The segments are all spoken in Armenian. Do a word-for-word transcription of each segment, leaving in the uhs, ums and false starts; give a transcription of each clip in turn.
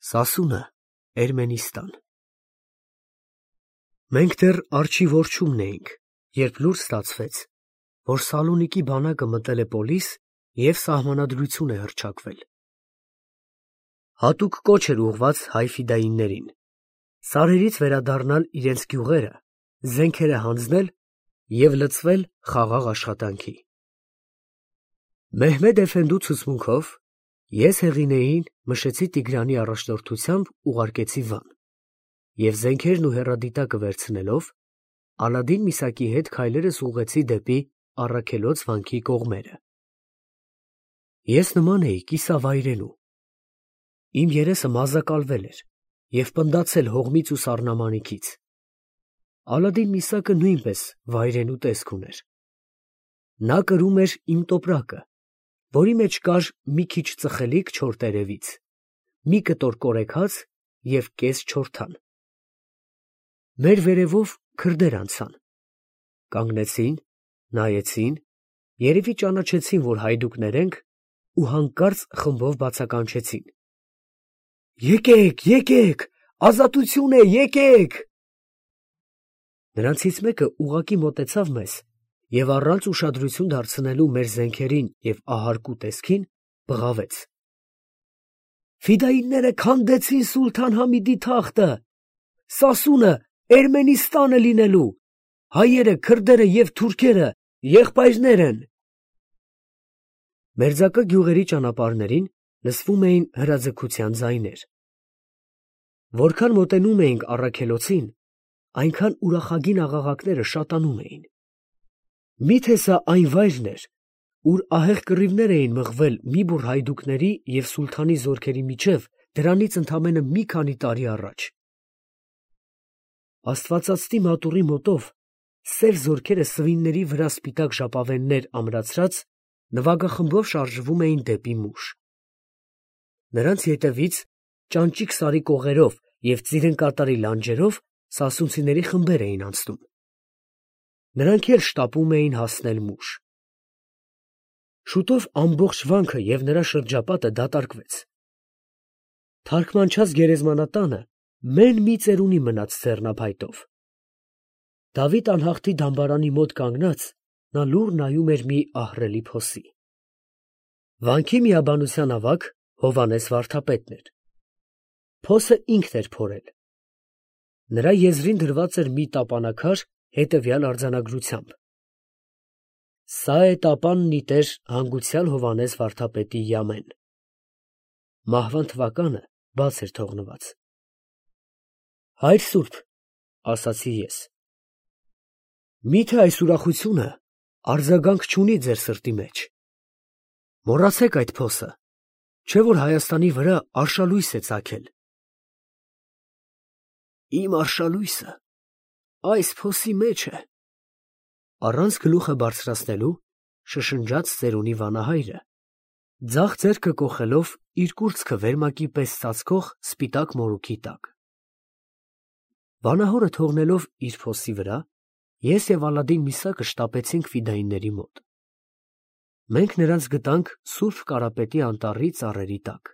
Սասունը, Էրմենիստան։ Մենք դեռ արջի որջումն էինք, երբ լուր ստացվեց, որ Սալոնիկի բանակը մտել է Պոլիս և սահմանադրություն է հռչակվել։ Հատուկ կոչ էր ուղղված հայ ֆիդայիններին սարերից վերադառնալ իրենց գյուղերը, զենքերը հանձնել և լցվել խաղաղ աշխատանքի։ Մեհմեդ էֆենդու ցուցմունքով ես Հեղինեին Մշեցի Տիգրանի առաջնորդությամբ ուղարկեցի Վան և զենքերն ու հեռադիտակը վերցնելով, Ալադին Միսակի հետ քայլերս ուղղեցի դեպի Առաքելոց վանքի կողմերը։ Ես նման էի կիսավայրենու։ Իմ երեսը մազակալվել էր և պնդացել հողմից ու սառնամանիքից։ Ալադին Միսակը նույնպես վայրենու տեսք ուներ։ Նա կրում էր իմ տոպրակը, որի մեջ կար մի քիչ ծխելիք չոր տերևից, մի կտոր կորեքաց և կես չորթան։ Մեր վերևով քրդեր անցան, կանգնեցին, նայեցին, երևի ճանաչեցին, որ հայդուկներ ենք, ու հանկարծ խմբով բացականչեցին. «Եկեք, եկեք, ազատություն է, եկեք»։ Նրանցից մեկը ուղղակի մոտեցավ մեզ և առանց ուշադրություն դարձնելու մեր զենքերին և ահարկու տեսքին, բղավեց. «Ֆիդայինները քանդեցին սուլթան Համիդի թախտը, Սասունը Էրմենիստան է լինելու, հայերը, քրդերը և թուրքերը եղբայրներ են»։ Մերձակա գյուղերի ճանապարհներին լսվում էին հրաձգության ձայներ։ Որքան մոտենում էինք առաքելոցին, այնքան ուրախագին աղաղակները շատանում էին։ Մի՞թե սա այն վայրն էր, ուր ահեղ կռիվներ էին մղվել մի բուռ հայդուկների և սուլթանի զորքերի միջև դրանից ընդամենը մի քանի տարի առաջ։ Աստվածածտի մատուռի մոտով սև զորքերը սվինների վրա սպիտակ ժապավեններ ամրացրած նվագախմբով շարժվում էին դեպի Մուշ։ Նրանց ետևից ճանճիկ սարի կողերով և ծիրանկատարի լանջերով սասունցիների խմբեր էին անցնում։ Նրանք էլ շտապում էին հասնել Մուշ։ Շուտով ամբողջ վանքը և նրա շրջապատը դատարկվեց։ Թարքմանչած գերեզմանատանը մեն֊մի ծերունի մնաց ձեռնափայտով։ Դավիթ անհախտի դամբարանի մոտ կանգնած, նա լուռ նայում էր մի ահռելի փոսի։ Վանքի միաբանության ավագ Հովհաննես վարդապետն էր։ Փոսը ինքն էր փորել։ Նրա եզրին դրված էր մի տապանաքար հետևյալ արձանագրությամբ. «Սա է տապանն ի տեր հանգուցյալ Հովհաննես վարդապետի յամեն»։ Մահվան թվականը բաց էր թողնված։ «Հայր սուրբ, ֊ ասացի ես, ֊ մի՞թե այս ուրախությունը արձագանք չունի ձեր սրտի մեջ։ Մոռացեք այդ փոսը, չէ՞ որ Հայաստանի վրա արշալույս է ծագել»։ «Իմ արշալույսը այս փոսի մեջ է», ֊ առանց գլուխը բարձրացնելու շշնջաց ծերունի վանահայրը, ձախ ձեռքը կոխելով իր կուրծքը վերմակի պես ծածկող սպիտակ մորուքի տակ։ Վանահորը թողնելով իր փոսի վրա, ես և Ալադին Միսակը շտապեցինք ֆիդայինների մոտ։ Մենք նրանց գտանք Սուրբ Կարապետի անտառի ծառերի տակ։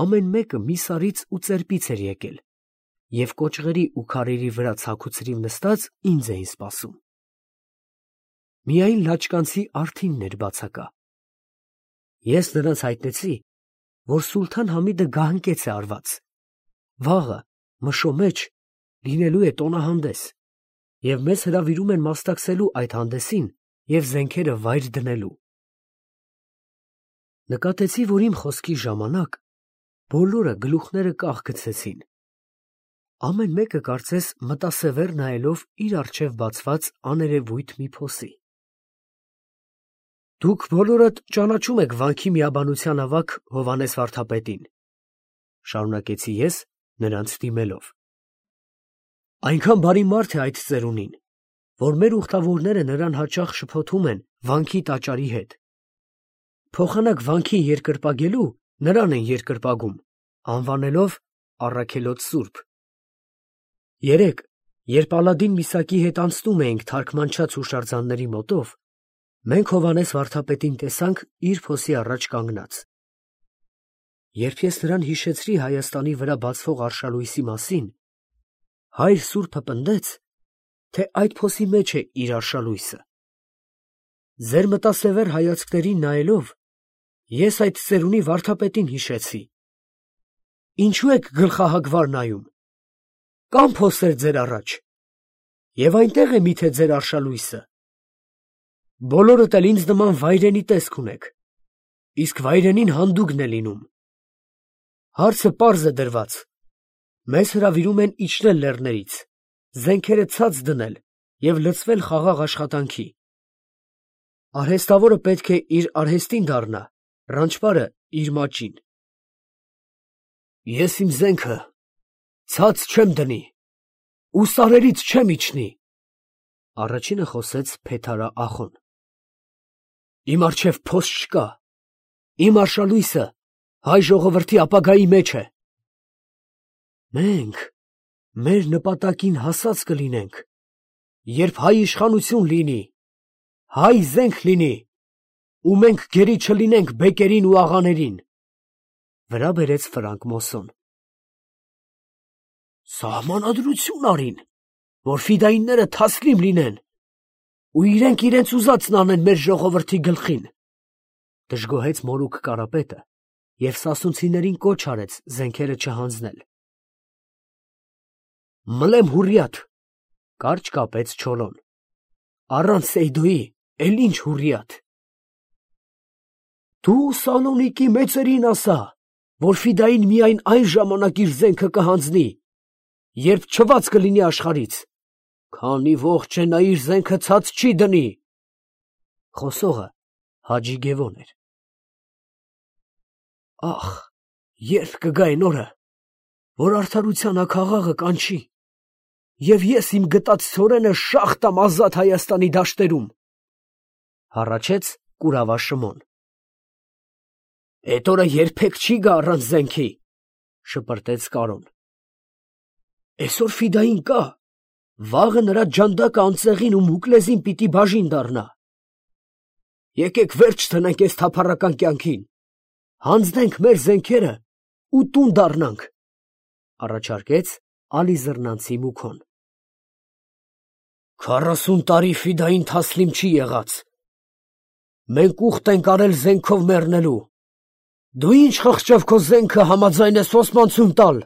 Ամեն մեկը մի սարից ու ծերպից էր եկել, և կոճղերի ու քարերի վրա ցաքուցրիվ նստած ինձ էին սպասում։ Միայն լաճկանցի արթինն էր բացակա։ Ես նրանց հայտնեցի, որ սուլթան Համիդը գահընկեց է արված, վաղը մշո մեջ լինելու է տոնահանդես, և մեզ հրավիրում են մասնակցելու այդ հանդեսին և զենքերը վայր դնելու։ Նկատեցի, որ իմ խոսքի ժամանակ բոլորը գլուխները կախ գցեցին։ Ամեն մեկը կարծես մտասևեռ նայելով իր առջև բացված աներևույթ մի փոսի։ «Դուք բոլորդ ճանաչում եք վանքի միաբանության ավագ Հովհաննես վարդապետին, ֊ շարունակեցի ես, նրանց դիմելով։ Այնքան բարի մարդ է այդ ծերունին, որ մեր ուխտավորները նրան հաճախ շփոթում են վանքի տաճարի հետ։ Փոխանակ վանքին երկրպագելու նրան են երկրպագում, անվանելով Առաքելոց սուրբ։ Երեկ, երբ Ալադին Միսակի հետ անցնում էինք թարքմանչած հուշարձանների մոտով, մենք Հովհաննես վարդապետին տեսանք իր փոսի առաջ կանգնած։ Երբ ես նրան հիշեցրի Հայաստանի վրա բացվող արշալույսի մասին, հայր սուրբը պնդեց, թե այդ փոսի մեջ է իր արշալույսը։ Ձեր մտասևեր հայացքներին նայելով, ես այդ ծերունի վարդապետին հիշեցի։ Ինչու եք գլխահագվար նայում։ Կամ փոսեր ձեր առաջ, և այնտեղ է միթե ձեր արշալույսը։ Բոլորդ էլ ինձ նման վայրենի տեսք ունեք, իսկ վայրենին հանդուգն է լինում։ Հարցը պարզ է դրված. մեզ հրավիրում են իջնել լեռներից, զենքերը ցած դնել և լցվել խաղաղ աշխատանքի։ Արհեստավորը պետք է իր արհեստին դառնա, ռանչպարը իր մաճին։ Ես իմ զենքը ցած չեմ դնի ու սարերից չեմ իջնի, առաջինը խոսեց Փեթարա ախոն։ Իմ առջև փոս չկա, իմ արշալույսը հայ ժողովրդի ապագայի մեջ է։ Մենք մեր նպատակին հասած կլինենք, երբ հայ իշխանություն լինի, հայ զենք լինի, ու մենք գերի չլինենք բեկերին ու աղաներին, վրա բերեց Ֆրանկ Մոսսոն։ Սահմանադրություն արին, որ ֆիդայինները թասլիմ լինեն, ու իրենք իրենց ուզածն անեն մեր ժողովրդի գլխին, դժգոհեց Մորուք Կարապետը և սասունցիներին կոչ արեց զենքերը չհանձնել։ Մլեմ հուրիաթ, կարճ կապեց Չոլոն, առանց Սեյդոյի էլ ինչ հուրիաթ։ Դու Սալոնիկի մեծերին ասա, որ ֆիդային միայն այն ժամանակ իր զենքը կհանձնի, երբ չված կլինի աշխարհից, քանի ողջ է նա իր զենքը ցած չի դնի։ Խոսողը Հաջի Գևոն էր։ Ախ, երբ կգա այն օրը, որ արդարության աքաղաղը կանչի, և ես իմ գտած ցորենը շաղ տամ ազատ Հայաստանի դաշտերում, հառաչեց կուրավա Շմոն։ Էդ օրը երբեք չի գա առանց զենքի, շպրտեց Կարոն։ Այսօր ֆիդային կա, վաղը նրա ջանդակը անձեղին ու մուկլեզին պիտի բաժին դառնա։ Եկեք վերջ տնենք այս թափառական կյանքին, հանձնենք մեր զենքերը ու տուն դառնանք, առաջարկեց Ալիզռնանցի Մուքոն։ Քառասուն տարի ֆիդային թասլիմ չի եղած։ Մենք ուխտ ենք արել զենքով մեռնելու։ Դու ինչ խղճով քո զենքը համաձայն ես օսմանցուն տալ։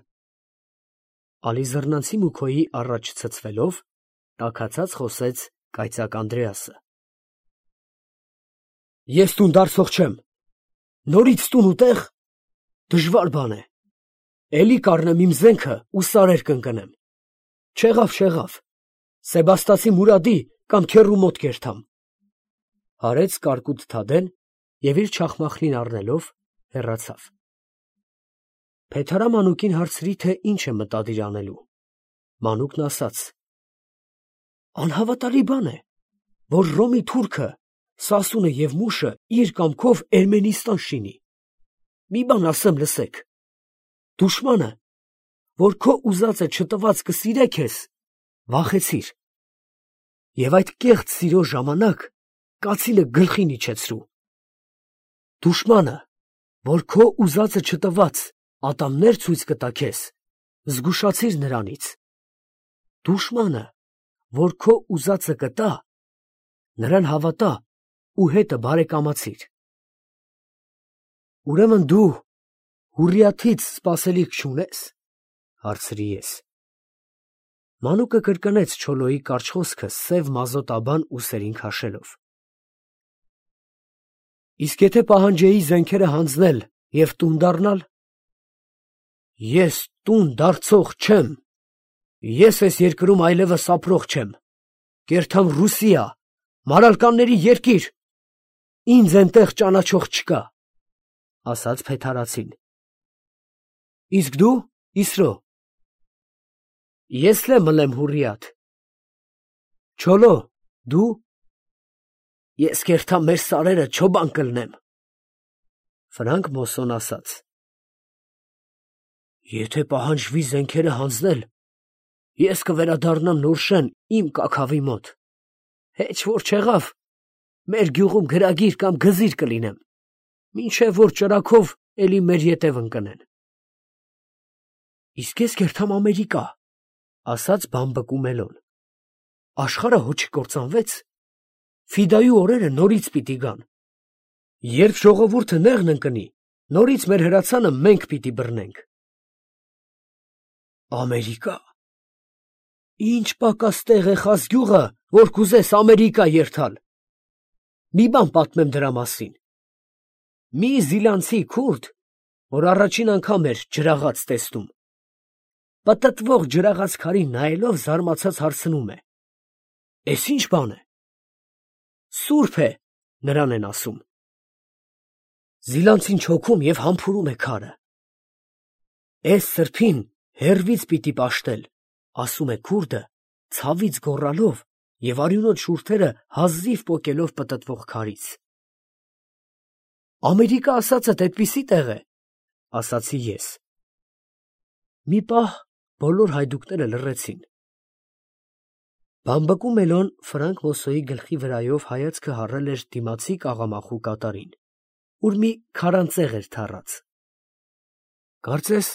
Ալիզռնանցի Մուքոյի առաջ ցցվելով, տաքացած խոսեց կայծակ Անդրեասը։ Ես տուն դարձող չեմ։ Նորից տուն ու տեղ դժվար բան է։ Էլի կառնեմ իմ զենքը ու սարեր կընկնեմ։ Չեղավ, չեղավ։ Սեբաստացի Մուրադի կամ քեռու մոտ կերթամ։ Հարեց կարկուտ Թադեն և իր չախմախլին առնելով հեռացավ։ Փեթարա Մանուկին հարցրի, թե ինչ է մտադիր անելու։ Մանուկն ասաց. Անհավատալի բան է, որ Ռոմի թուրքը, Սասունը և Մուշը իր կամքով Էրմենիստան շինի։ Մի բան ասեմ, լսեք։ Դուշմանը, որ քո ուզածը չտված կսիրե քեզ, վախեցիր։ Եվ այդ կեղծ սիրո ժամանակ կացինը գլխին իջեցրու։ Դուշմանը, որ քո ուզածը չտված ատամներ ցույց կտա քեզ, զգուշացիր նրանից։ Դուշմանը, որ քո ուզածը կտա, նրան հավատա ու հետը բարեկամացիր։ Ուրեմն դու հուրիաթից սպասելիք չունես, հարցրի ես։ Մանուկը կրկնեց Չոլոյի կարճ խոսքը սև մազոտաբան ուսերին քաշելով։ Իսկ եթե պահանջեի զենքերը հանձնել և տուն դառնալ։ Ես տուն դարձող չեմ։ Ես այս երկրում այլևս ապրող չեմ։ Կերթամ Ռուսիա, մարալկանների երկիր։ Ինձ այնտեղ ճանաչող չկա, ասաց Փեթարացին։ Իսկ դու, Իսրո։ Ես լե մլեմ հուրիաթ։ Չոլո, դու։ Ես կերթամ մեր սարերը չոբան կլնեմ։ Ֆրանկ Մոսսոն ասաց. Եթե պահանջվի զենքերը հանձնել, ես կվերադառնամ Նորշեն իմ կաքավի մոտ։ Հեչ որ չեղավ, մեր գյուղում գրագիր կամ գզիր կլինեմ, մինչև որ ճրագով էլի մեր ետև ընկնեն։ Իսկ ես կերթամ Ամերիկա, ասաց բամբկու Մելոն։ Աշխարհը հո չկործանվեց։ Ֆիդայու օրերը նորից պիտի գան։ Երբ ժողովուրդը նեղն ընկնի, նորից մեր հրացանը մենք պիտի բռնենք։ Ամերիկա։ Ինչ պակաս տեղ է խազ գյուղը, որ կուզես Ամերիկա երթալ։ Մի բան պատմեմ դրա մասին։ Մի զիլանցի քուրդ, որ առաջին անգամ էր ջրաղաց տեսնում, պտտվող ջրաղաց քարին նայելով զարմացած հարցնում է. «Էս ինչ բան է»։ Սուրբ է, նրան են ասում։ Զիլանցին չոքում և համբուրում է քարը։ Էս սրբին հեռվից պիտի պաշտել, ասում է քուրդը, ցավից գոռալով և արյունոտ շուրթերը հազիվ պոկելով պտտվող քարից։ Ամերիկա ասածդ էդպիսի տեղ է, ասացի ես։ Մի պահ բոլոր հայդուկները լռեցին։ Բամբկու Մելոն Ֆրանկ Մոսոյի գլխի վրայով հայացքը հառել էր դիմացի կաղամախու կատարին, ուր մի քարանձեղ էր թառած։ Կարծես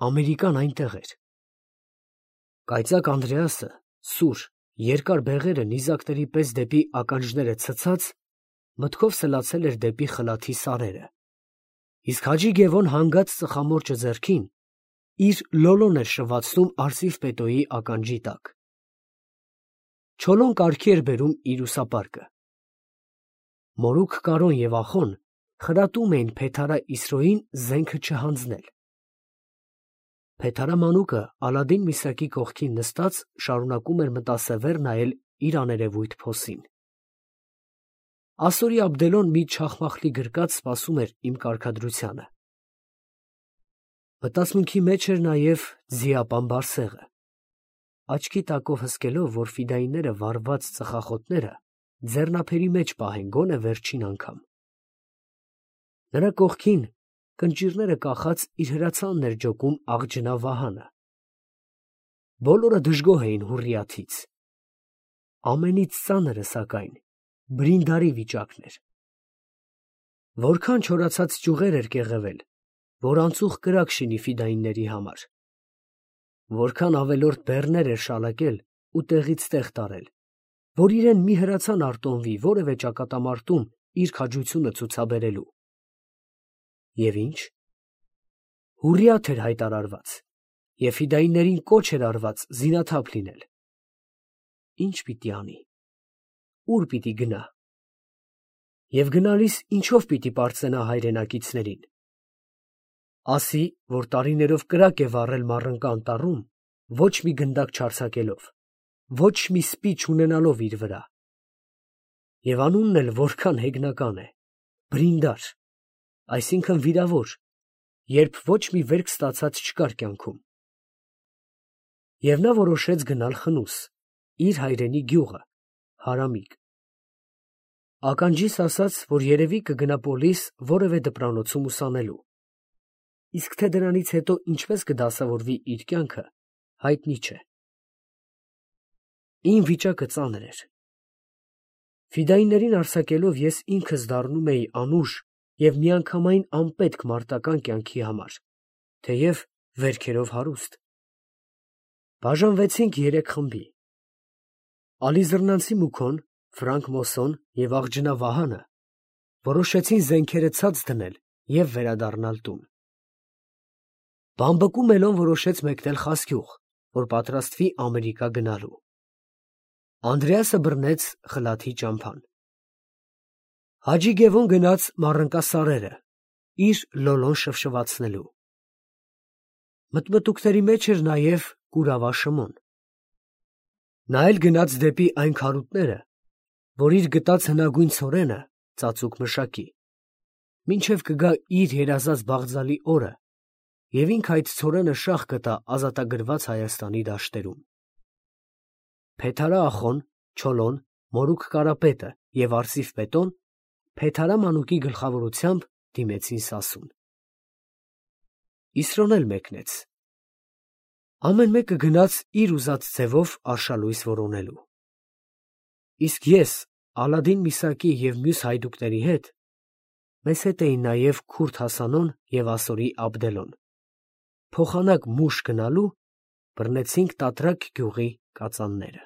Ամերիկան այնտեղ էր։ Կայծակ Անդրեասը, սուր, երկար բեղերը նիզակների պես դեպի ականջները ցցած, մտքով սլացել էր դեպի խլաթի սարերը, իսկ Հաջի Գևոն հանգած ծխամորճը ձեռքին, իր լոլոն էր շվացնում արծիվ պետոյի ականջի տակ։ Չոլոն կարգի էր բերում իր ուսապարկը։ Մորուք Կարոն և Ախոն խրատում էին Փեթարա Իսրոյին զենքը չհանձնել։ Փեթարա մանուկը Ալադին միսակի կողքին նստած շարունակում էր մտասևեր նայել իր աներևույթ փոսին։ Ասորի Աբդելոն մի չախմախլի գրկած սպասում էր իմ կարգադրությանը։ Մտածմունքի մեջ էր նաև ձիապան Բարսեղը, աչքի տակով հսկելով, որ ֆիդայինները վառված ծխախոտները ձեռնափերի մեջ պահեն գոնե վերջին անգամ։ Նրա կողքին կնճիռները կախած իր հրացանն էր ջոկում աղջնա Վահանը։ Բոլորը դժգոհ էին Հուրրիաթից։ Ամենից ծանրը, սակայն, Բրինդարի վիճակն էր։ Որքան չորացած ճյուղեր էր կեղևել, որ անցուղ կրակ շինի ֆիդայինների համար։ Որքան ավելորդ բեռներ էր շալակել ու տեղից տեղ տարել, որ իրեն մի հրացան արտոնվի որևէ ճակատամարտում իր քաջությունը ցուցաբերելու։ Եվ ինչ։ Հուրրիաթ էր հայտարարված, և ֆիդայիններին կոչ էր արված զինաթափ լինել։ Ինչ պիտի անի։ Ուր պիտի գնա։ Եվ գնալիս ինչով պիտի պարծենա հայրենակիցներին։ Ասի, որ տարիներով կրակ է վառել Մառընկա անտառում, ոչ մի գնդակ չարձակելով, ոչ մի սպի չունենալով իր վրա։ Եվ անունն էլ որքան հեգնական է, Բրինդար, այսինքն վիրավոր, երբ ոչ մի վերք ստացած չկար կյանքում։ Եվ նա որոշեց գնալ խնուս, իր հայրենի գյուղը, Հարամիկ։ Ականջիս ասաց, որ երևի կգնա պոլիս որևէ դպրանոցում ուսանելու։ Իսկ թե դրանից հետո ինչպես կդասավորվի իր կյանքը, հայտնի չէ։ Իմ վիճակը ծանր էր։ Ֆիդայիններին արձակելով ես ինքս դառնում էի անուշ և միանգամայն անպետք մարտական կյանքի համար, թեև վերքերով հարուստ։ Բաժանվեցինք երեք խմբի։ Ալիզռնանցի Մուքոն, Ֆրանկ Մոսոն և աղջնա Վահանը որոշեցին զենքերը ցած դնել և վերադառնալ տուն։ Բամբկու Մելոն որոշեց մեկնել Խասկյուղ, որ պատրաստվի Ամերիկա գնալու։ Անդրեասը բռնեց խլաթի ճամփան։ Հաջի Գևոն գնաց Մառընկա սարերը, իր լոլոն շվշվացնելու։ Մտմտուկների մեջ էր նաև Կուրավա Շմոն։ Նա էլ գնաց դեպի այն քարուտները, որ իր գտած հնագույն ցորենը ծածուկ մշակի, մինչև կգա իր երազած բաղձալի օրը, և ինքը այդ ցորենը շաղ կտա ազատագրված Հայաստանի դաշտերում։ Փեթարա Ախոն, Չոլոն, Մորուք Կարապետը և Արծիվ Պետոն Փեթարա մանուկի գլխավորությամբ դիմեցին Սասուն։ Իսրոն էլ մեկնեց։ Ամեն մեկը գնաց իր ուզած ձևով արշալույս որոնելու։ Իսկ ես Ալադին միսակի և մյուս հայդուկների հետ Մեզ հետ էին նաև Քուրդ Հասանոն և Ասորի Աբդելոն։ Փոխանակ մուշ գնալու բռնեցինք Տատրակ գյուղի կածանները։